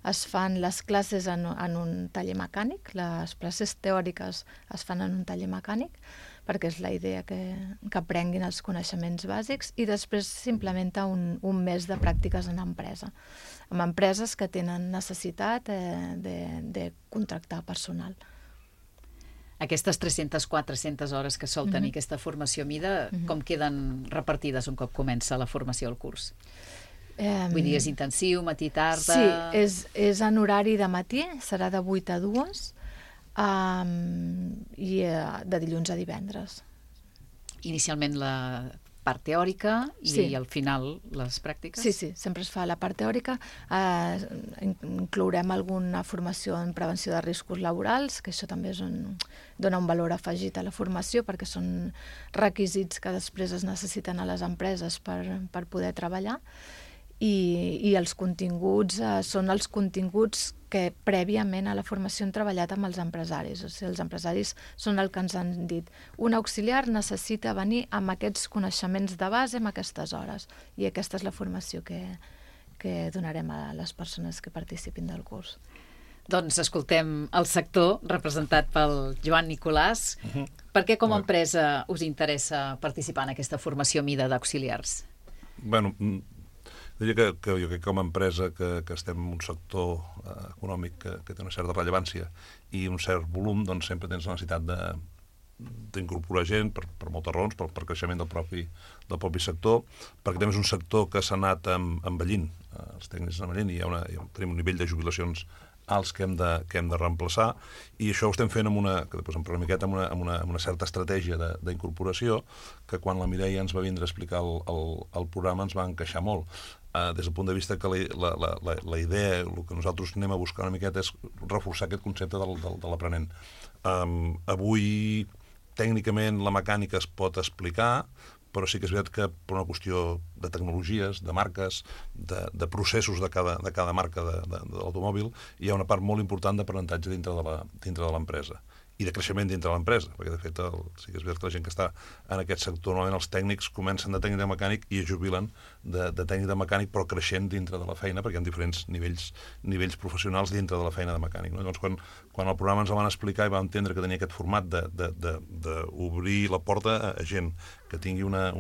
L: Es fan les classes en un taller mecànic, les classes teòriques es fan en un taller mecànic, perquè és la idea que aprenguin els coneixements bàsics, i després s'implementa un mes de pràctiques en empresa, amb empreses que tenen necessitat de contractar personal.
C: Aquestes 300-400 hores que sol tenir aquesta formació Mida, com queden repartides un cop comença la formació al curs? Vull dir, és intensiu, matí, tarda...
L: Sí, és en horari de matí, serà de 8 a 2, i de dilluns a divendres.
C: Inicialment la part teòrica i
L: Sí.
C: al final les pràctiques?
L: Sí, sempre es fa la part teòrica. Inclourem alguna formació en prevenció de riscos laborals, que això també dona un valor afegit a la formació, perquè són requisits que després es necessiten a les empreses per poder treballar. I els continguts són els continguts que prèviament a la formació hem treballat amb els empresaris. O sigui, els empresaris són el que ens han dit: un auxiliar necessita venir amb aquests coneixements de base en aquestes hores. I aquesta és la formació que donarem a les persones que participin del curs.
C: Doncs escoltem el sector representat pel Joan Nicolàs. Per què com a empresa us interessa participar en aquesta formació mida d'auxiliars?
K: Bueno, diria que jo crec que com a empresa que estem en un sector econòmic que té una certa rellevància i un cert volum, doncs sempre tens la necessitat d'incorporar gent per moltes raons, per creixement del propi sector, perquè també és un sector que s'ha anat envellint, els tècnics envellint, i tenim un nivell de jubilacions alts que hem de reemplaçar, i això ho estem fent que després en parlarem una miqueta, amb una certa estratègia d'incorporació, que quan la Mireia ens va vindre a explicar el programa ens va encaixar molt. Des del punt de vista que la idea, el que nosaltres anem a buscar una miqueta és reforçar aquest concepte de l'aprenent. Avui, tècnicament, la mecànica es pot explicar, però sí que és veritat que per una qüestió de tecnologies, de marques, de processos de cada marca de l'automòbil, hi ha una part molt important d'aprenentatge dintre de l'empresa i de creixement dintre de l'empresa, perquè de fet sí que és veritat que la gent que està en aquest sector, normalment els tècnics comencen de tècnic de mecànic i es jubilen de tècnic de mecànic, però creixent dintre de la feina, perquè hi ha diferents nivells professionals dintre de la feina de mecànic. No? Llavors, quan el programa ens el van explicar i vam entendre que tenia aquest format d'obrir la porta a gent que tingui una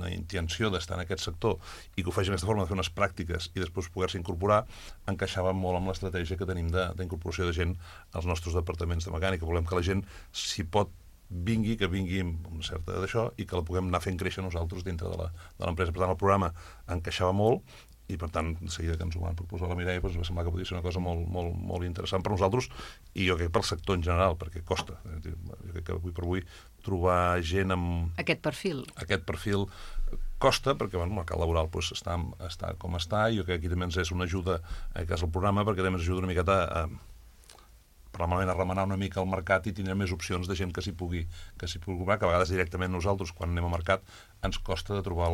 K: intenció d'estar en aquest sector i que ho faci d'aquesta forma, de fer unes pràctiques i després poder-se incorporar, encaixava molt amb l'estratègia que tenim d'incorporació de gent als nostres departaments de mecànica. Volem que la gent, si pot, que vingui amb una certa d'això i que la puguem anar fent créixer nosaltres dintre de l'empresa. Per tant, el programa encaixava molt i, per tant, de seguida que ens ho van proposar la Mireia, doncs va semblar que podia ser una cosa molt interessant per nosaltres i jo crec pel sector en general, perquè costa. Jo crec que avui per avui trobar gent amb... Aquest perfil costa, perquè el mercat laboral està com està, i jo crec que aquí també ens és una ajuda, en aquest cas el programa, perquè també ens ajuda una miqueta probablement a remenar una mica el mercat i tindrem més opcions de gent que s'hi pugui comprar, que a vegades directament nosaltres, quan anem a mercat, ens costa de trobar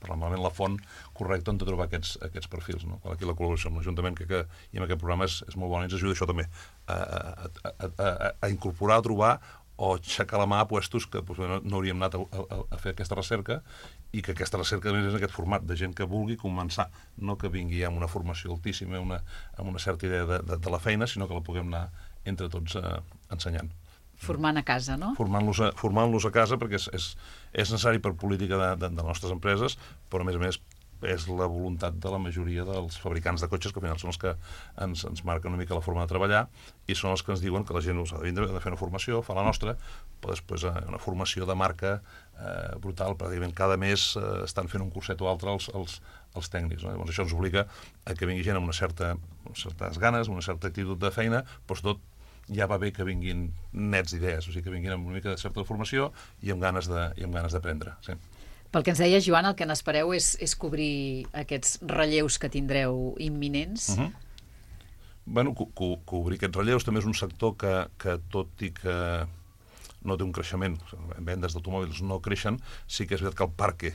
K: probablement la font correcta on de trobar aquests perfils. No? Aquí la col·laboració amb l'Ajuntament i amb aquest programa és molt bona i ens ajuda això també a incorporar, a trobar o aixecar la mà a puestos que no hauríem anat a fer aquesta recerca i que aquesta recerca és en aquest format de gent que vulgui començar, no que vingui amb una formació altíssima, amb una certa idea de la feina, sinó que la puguem anar entre tots ensenyant.
C: Formant a casa, no?
K: Formant-los a casa, perquè és necessari per política de les nostres empreses, però a més és la voluntat de la majoria dels fabricants de cotxes, que al final són els que ens marquen una mica la forma de treballar i són els que ens diuen que la gent ha de vindre a fer una formació, fa la nostra, però després una formació de marca brutal, pràcticament cada mes estan fent un curset o altre els tècnics. No? Llavors això ens obliga a que vingui gent amb certes ganes, una certa actitud de feina, però sobretot ja va bé que vinguin nets d'idees, o sigui que vinguin amb una mica de certa formació i amb ganes d'aprendre. Sí.
C: Pel que ens deia, Joan, el que n'espereu és cobrir aquests relleus que tindreu imminents.
K: Bueno, cobrir aquests relleus també és un sector que tot i que no té un creixement, vendes d'automòbils no creixen, sí que és veritat que el parc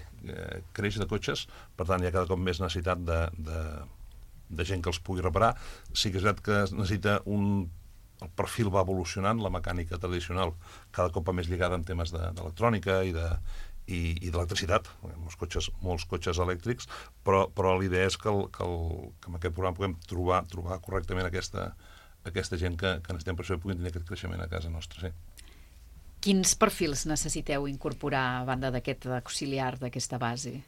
K: creix de cotxes, per tant hi ha cada cop més necessitat de gent que els pugui reparar. Sí que és veritat que es necessita el perfil va evolucionant, la mecànica tradicional cada cop va més lligada en temes d'electrònica i d'electricitat, molts cotxes elèctrics, però la idea és que amb aquest programa puguem trobar correctament aquesta gent que necessitem per això puguin tenir aquest creixement a casa nostra. Sí.
C: Quins perfils necessiteu incorporar a banda d'aquest auxiliar, d'aquesta base?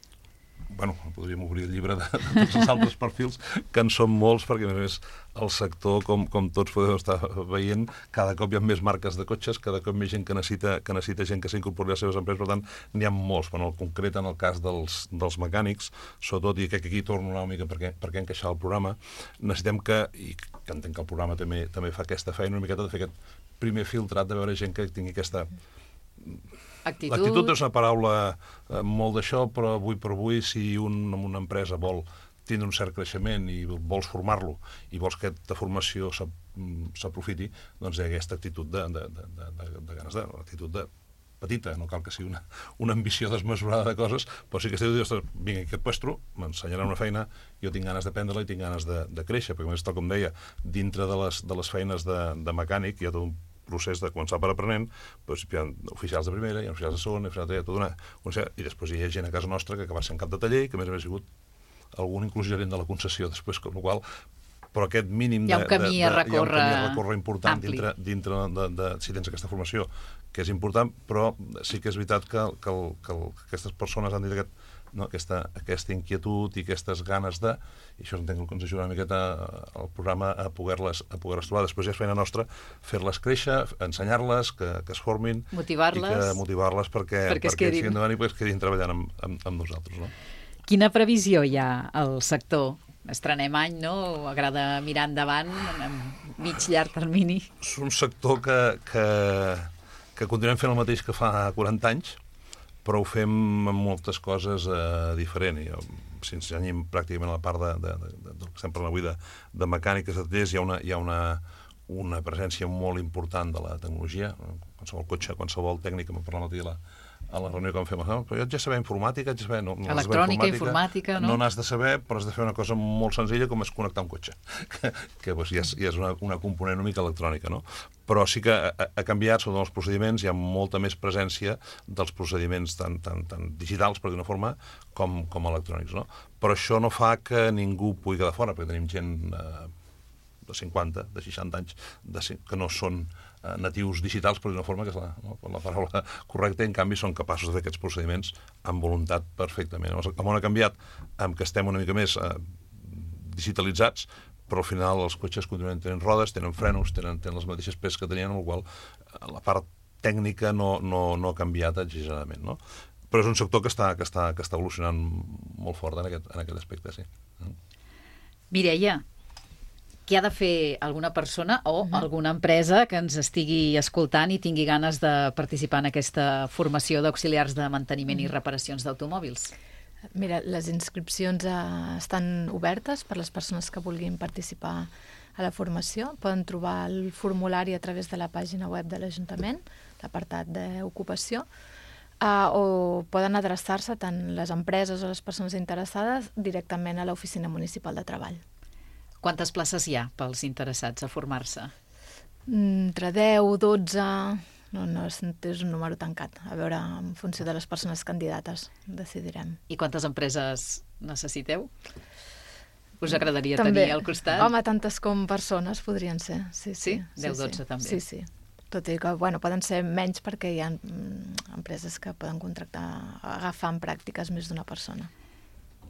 K: Bueno, podríem obrir el llibre de tots els altres perfils, que en són molts, perquè a més el sector, com tots podeu estar veient, cada cop hi ha més marques de cotxes, cada cop més gent que necessita gent que s'incorpori a les seves empreses, per tant, n'hi ha molts, però en concret en el cas dels mecànics, sobretot, i crec que aquí torno una mica perquè encaixar el programa, necessitem i que entenc que el programa també fa aquesta feina, una miqueta de fer aquest primer filtrat, de veure gent que tingui aquesta
C: Actitud.
K: L'actitud és una paraula molt d'això, però avui per avui, si una empresa vol tindre un cert creixement i vols formar-lo i vols que aquesta formació s'aprofiti, doncs hi ha aquesta actitud de ganes de... L'actitud petita, no cal que sigui una ambició desmesurada de coses, però sí que estic dient, vinga, aquest puesto, m'ensenyarà una feina, jo tinc ganes d'aprendre-la i tinc ganes de créixer, perquè a més, tal com deia, dintre de les feines de mecànic hi ha tot un procés de començar per aprenent, doncs hi ha oficials de primera, hi ha oficials de segona, hi ha tota i després hi ha gent a casa nostra que acaba sent cap de taller i que a més ha sigut algun inclús gerent de la concessió després, com la qual però aquest mínim
C: hi ha un camí a
K: recórrer important dintre de si tens aquesta formació, que és important, però sí que és veritat que aquestes persones han dit aquesta inquietud i aquestes ganes de, i això entenc que ens ajuda una miqueta al programa a poder-les trobar. Després ja és feina nostra fer-les créixer, ensenyar-les, que es formin, motivar-les perquè siguin endavant i perquè es quedin treballant amb nosaltres, no?
C: Quina previsió hi ha al sector? Estrenem any, no? Agrada mirar endavant, en mig llarg termini.
K: És un sector que continuem fent el mateix que fa 40 anys, però ho fem amb moltes coses diferent. Si ens anyim pràcticament a la part del que estem parlant avui de mecàniques de tallers, hi ha una presència molt important de la tecnologia. Qualsevol cotxe, qualsevol tècnica, m'ha parlat l'altre dia a la reunió que vam fer, però jo haig de saber informàtica, haig de saber...
C: Electrònica, informàtica, no?
K: No n'has de saber, però has de fer una cosa molt senzilla com és connectar un cotxe, que ja és una component una mica electrònica, no? Però sí que ha canviat, sobre els procediments, hi ha molta més presència dels procediments tan digitals, per d'una forma, com electrònics, no? Però això no fa que ningú pugui quedar fora, perquè tenim gent de 50, de 60 anys, que no són natius digitals, per d'una forma, que és la paraula correcta, i en canvi són capaços de fer aquests procediments amb voluntat perfectament. El món ha canviat amb que estem una mica més digitalitzats, però al final els cotxes continuen tenint rodes, tenen frenos, tenen les mateixes peces que tenien, amb la qual la part tècnica no ha canviat exageradament, no? Però és un sector que està evolucionant molt fort en aquest aspecte, sí.
C: Mireia, què ha de fer alguna persona o alguna empresa que ens estigui escoltant i tingui ganes de participar en aquesta formació d'auxiliars de manteniment i reparacions d'automòbils?
L: Mira, les inscripcions estan obertes per les persones que vulguin participar a la formació. Poden trobar el formulari a través de la pàgina web de l'Ajuntament, l'apartat d'ocupació, o poden adreçar-se tant les empreses o les persones interessades directament a l'Oficina Municipal de Treball.
C: Quantes places hi ha pels interessats a formar-se?
L: Entre 10, 12... No és un número tancat. A veure, en funció de les persones candidates, decidirem.
C: I quantes empreses necessiteu? Us agradaria tenir al costat?
L: Home, tantes com persones podrien ser. Sí?
C: 10-12 també?
L: Sí. Tot i que, poden ser menys perquè hi ha empreses que poden agafar en pràctiques més d'una persona.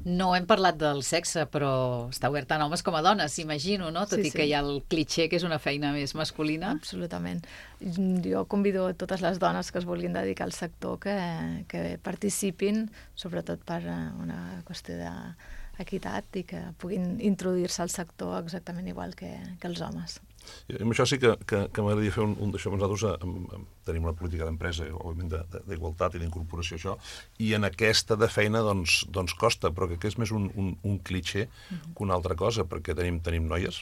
C: No hem parlat del sexe, però està obert tant a homes com a dones, imagino, no? Tot i que hi ha el clitxé que és una feina més masculina.
L: Absolutament. Jo convido a totes les dones que es vulguin dedicar al sector que participin, sobretot per una qüestió d'equitat i que puguin introduir-se al sector exactament igual que els homes.
K: I amb això sí que m'agradaria fer un d'això. Nosaltres tenim una política d'empresa, òbviament, d'igualtat i d'incorporació, això, i en aquesta de feina doncs costa, però que és més un clitxé que una altra cosa, perquè tenim noies,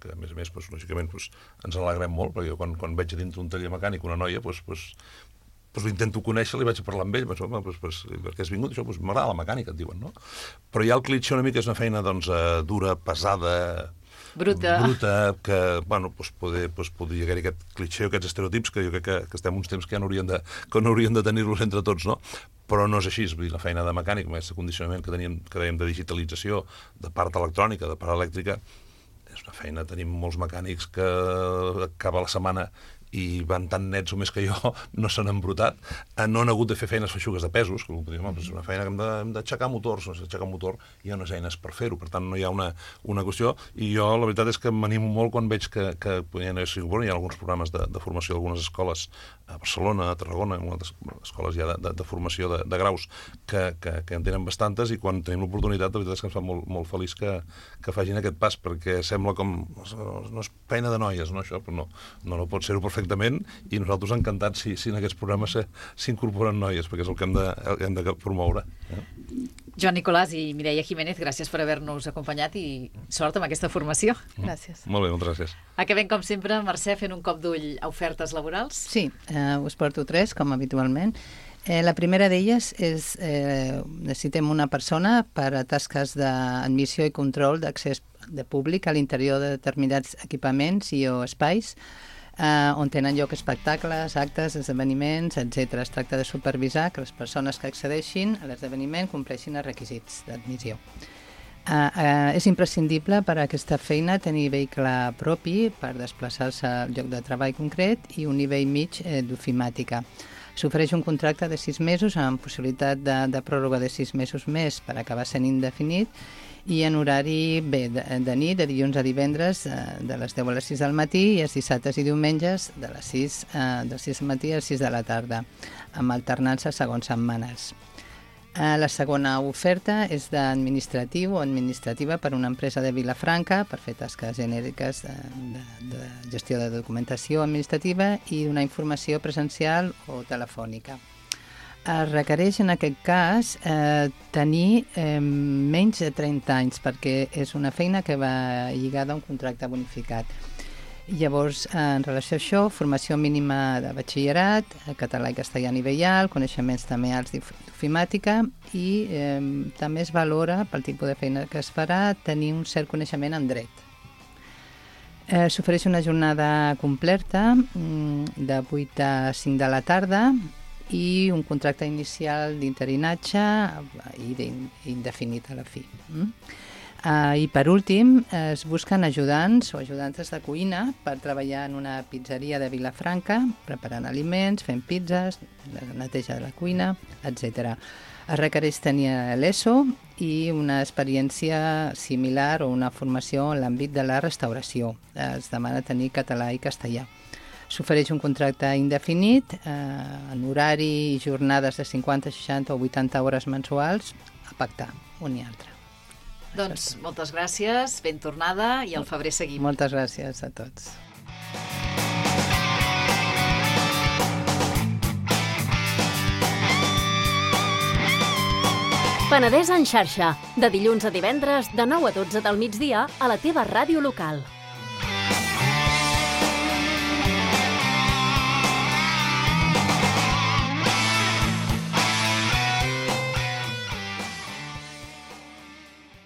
K: que a més, lògicament, ens alegrem molt, perquè quan veig a dintre un taller mecànic una noia, intento conèixer-la i vaig a parlar amb ell, perquè has vingut, això, m'agrada la mecànica, et diuen, no? Però hi ha el clitxé una mica, és una feina dura, pesada,
C: bruta,
K: que, podria haver-hi aquest clitxé o aquests estereotips que jo crec que estem uns temps que ja no hauríem de tenir-los entre tots, no? Però no és així, la feina de mecànic, aquest condicionament que dèiem de digitalització, de part electrònica, de part elèctrica, és una feina, tenim molts mecànics que acaba la setmana i van tan nets o més que jo, no s'han embrutat, no han hagut de fer feines feixugues de pesos, que és una feina que hem d'aixecar motors, aixecar un motor, hi ha unes eines per fer-ho, per tant no hi ha una qüestió, i jo la veritat és que m'animo molt quan veig que hi ha alguns programes de formació d'algunes escoles a Barcelona, a Tarragona, en altres escoles ja de formació de graus, que en tenen bastantes, i quan tenim l'oportunitat, la veritat és que ens fa molt feliç que facin aquest pas, perquè sembla com... no és feina de noies, no, això, però no pot ser-ho perfectament, perfectament, i nosaltres encantats si en aquests programes s'incorporen noies, perquè és el que hem de promoure.
C: Joan Nicolàs i Mireia Jiménez, gràcies per haver-nos acompanyat i sort amb aquesta formació.
L: Gràcies.
K: Molt bé, moltes gràcies.
C: Acabem, com sempre, Mercè, fent un cop d'ull a ofertes laborals.
J: Sí, us porto 3, com habitualment. La primera d'elles és necessitem una persona per a tasques d'admissió i control d'accés de públic a l'interior de determinats equipaments i o espais on tenen lloc espectacles, actes, esdeveniments, etc. Es tracta de supervisar que les persones que accedeixin a l'esdeveniment compleixin els requisits d'admissió. És imprescindible per a aquesta feina tenir vehicle propi per desplaçar-se al lloc de treball concret i un nivell mig d'ofimàtica. S'ofereix un contracte de 6 mesos amb possibilitat de pròrroga de 6 mesos més per acabar sent indefinit i en horari de nit, de dilluns a divendres, de les 10 a les 6 del matí i els dissabtes i diumenges de les 6 del matí a les 6 de la tarda, amb alternança segons setmanes. La segona oferta és d'administratiu o administrativa per una empresa de Vilafranca per fer tasques genèriques de gestió de documentació administrativa i d'una informació presencial o telefònica. Es requereix en aquest cas tenir menys de 30 anys perquè és una feina que va lligada a un contracte bonificat. Llavors, en relació a això, formació mínima de batxillerat, català i castellà a nivell alt, coneixements també alts d'ofimàtica i també es valora, pel tipus de feina que es farà, tenir un cert coneixement en dret. S'ofereix una jornada completa de 8 a 5 de la tarda i un contracte inicial d'interinatge i indefinit a la fi. I per últim, es busquen ajudants o ajudantes de cuina per treballar en una pizzeria de Vilafranca, preparant aliments, fent pizzas, la neteja de la cuina, etc. Es requereix tenir l'ESO i una experiència similar o una formació en l'àmbit de la restauració. Es demana tenir català i castellà. S'ofereix un contracte indefinit en horari i jornades de 50, 60 o 80 hores mensuals a pactar un i altre.
C: Doncs moltes gràcies, ben tornada i al febrer seguim.
J: Moltes gràcies a tots.
B: Penedès en xarxa, de dilluns a divendres de 9 a 12 del migdia a la teva ràdio local.